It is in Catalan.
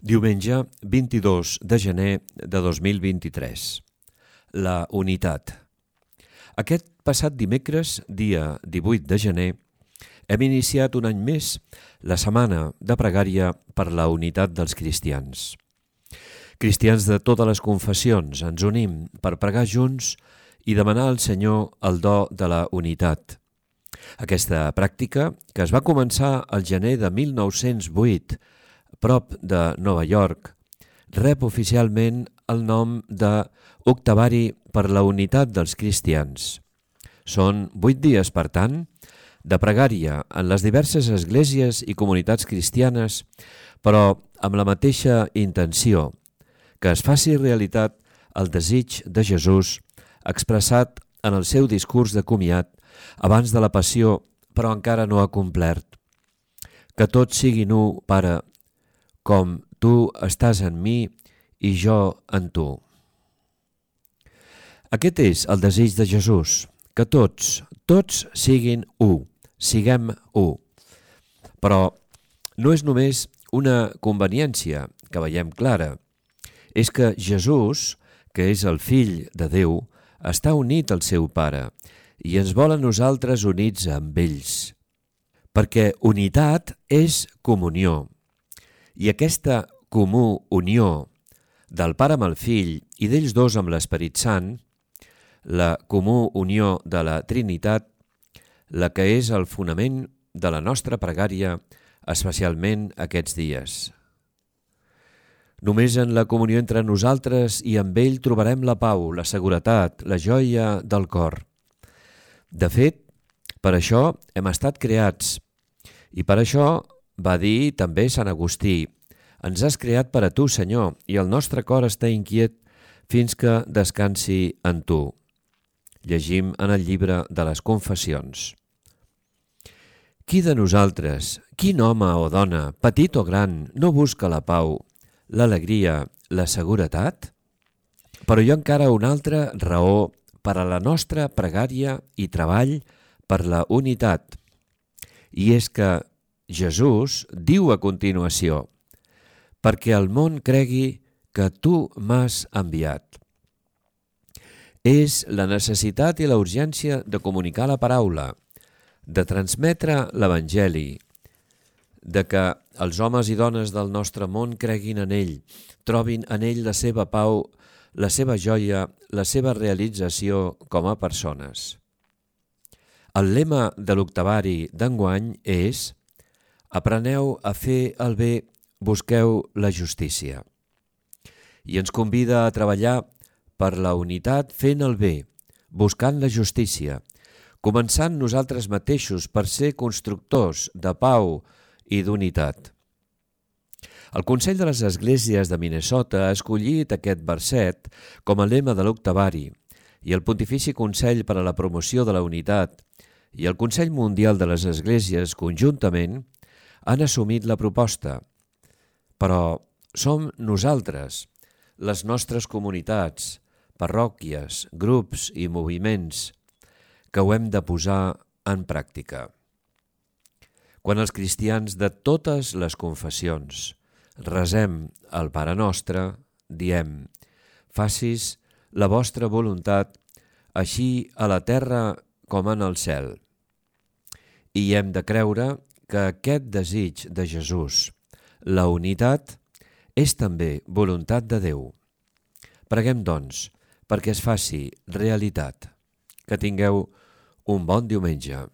Diumenge 22 de gener de 2023. La unitat. Aquest passat dimecres, dia 18 de gener, hem iniciat un any més la setmana de pregària per la unitat dels cristians. Cristians de totes les confessions ens unim per pregar junts i demanar al Senyor el do de la unitat. Aquesta pràctica, que es va començar al gener de 1908, prop de Nova York, rep oficialment el nom de Octavari per la unitat dels cristians. Són 8 dies, per tant, de pregària en les diverses esglésies i comunitats cristianes, però amb la mateixa intenció, que es faci realitat el desig de Jesús expressat en el seu discurs de comiat abans de la passió, però encara no acomplert. Que tots siguin u, Pare, com tu estàs en mi i jo en tu. Aquest és el desig de Jesús, que tots siguin u, siguem u. Però no és només una conveniència que veiem clara, és que Jesús, que és el Fill de Déu, està unit al seu Pare i ens vol a nosaltres units amb ells. Perquè unitat és comunió. I aquesta comú unió del Pare amb el Fill i d'ells dos amb l'Esperit Sant, la comú unió de la Trinitat, la que és el fonament de la nostra pregària, especialment aquests dies. Només en la comunió entre nosaltres i amb ell trobarem la pau, la seguretat, la joia del cor. De fet, per això hem estat creats i per això va dir també Sant Agustí: ens has creat per a tu, Senyor, i el nostre cor està inquiet fins que descansi en tu. Llegim en el llibre de les Confessions. Qui de nosaltres, quin home o dona, petit o gran, no busca la pau, l'alegria, la seguretat? Però hi ha encara una altra raó per a la nostra pregària i treball per la unitat, i és que Jesús diu a continuació: perquè el món cregui que tu m'has enviat. És la necessitat i la urgència de comunicar la paraula, de transmetre l'Evangeli, de que els homes i dones del nostre món creguin en ell, trobin en ell la seva pau, la seva joia, la seva realització com a persones. El lema de l'Octavari d'enguany és: apreneu a fer el bé, busqueu la justícia. I ens convida a treballar per la unitat fent el bé, buscant la justícia, començant nosaltres mateixos per ser constructors de pau i d'unitat. El Consell de les Esglésies de Minnesota ha escollit aquest verset com a lema de l'Octavari, i el Pontifici Consell per a la Promoció de la Unitat i el Consell Mundial de les Esglésies conjuntament han assumit la proposta. Però som nosaltres, les nostres comunitats, parròquies, grups i moviments, que ho hem de posar en pràctica. Quan els cristians de totes les confessions resem el Pare Nostre, diem: facis la vostra voluntat, així a la terra com en el cel. I hem de creure que aquest desig de Jesús, la unitat, és també voluntat de Déu. Preguem, doncs, perquè es faci realitat. Que tingueu un bon diumenge.